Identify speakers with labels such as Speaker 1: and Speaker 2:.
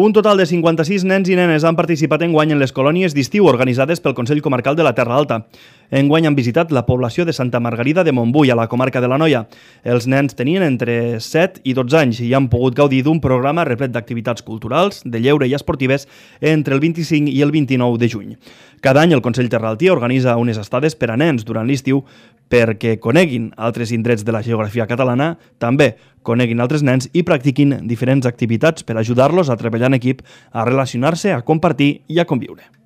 Speaker 1: Un total de 56 nens i nenes han participat enguany en les colònies d'estiu organitzades pel Consell Comarcal de la Terra Alta. Enguany han visitat la població de Santa Margarida de Montbui, a la comarca de l'Anoia. Els nens tenien entre 7 i 12 anys i han pogut gaudir d'un programa replet d'activitats culturals, de lleure i esportives entre el 25 i el 29 de juny. Cada any el Consell Terraltí organitza unes estades per a nens durant l'estiu perquè coneguin altres indrets de la geografia catalana, també coneguin altres nens i practiquin diferents activitats per ajudar-los a treballar en equip, a relacionar-se, a compartir i a conviure.